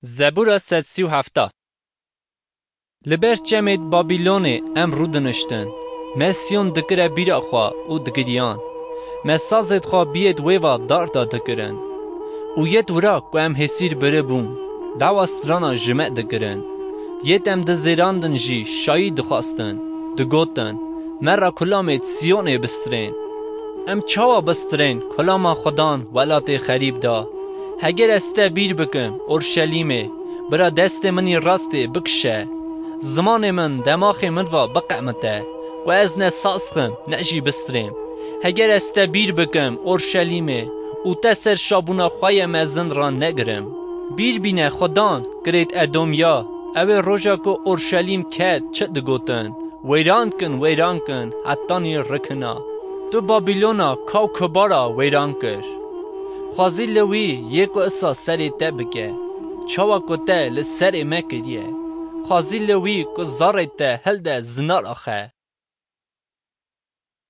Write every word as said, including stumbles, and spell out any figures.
Zebûra sed sî û heft. Li ber çemêd Babilonê em rûdiniştin. Me Siyon dikire bîra xwe û digiriyan. Me sazêd xwe biyêd wê va dar da dikirin. Û yêd wira ku em hêsîr biribûn, dawa strana ji me dikirin. Yêd em dizêrandin jî şayî dixwastin. Digotin, me re kulamêd Siyonê bistirên. Em çawa bistirên kulama Xudan welatê xerîb da? Heger ez te bîr bikim, Orşelîmê, bira destê min î rastê bikişe. Zimanê min demaxê min va biqemite, ku ez ne saz xim, ne jî bistirêm. Heger ez te bîr bikim, Orşelîmê, û te ser şabûna xwe ye mezin ra negirim. Bîr bîne Xudan, kirêt Edomya, ew ê roja ku Orşelîm ket, çi digotin? Weyran kin, weyran kin, hetanî rikina. Tu Babilona ka û kubara weyran kir. Xwazî li wî yê ku isa serê te bike. Çawa ku te li serê me kiriye. Xwazî li wî ku zarê te hilde zinar axe.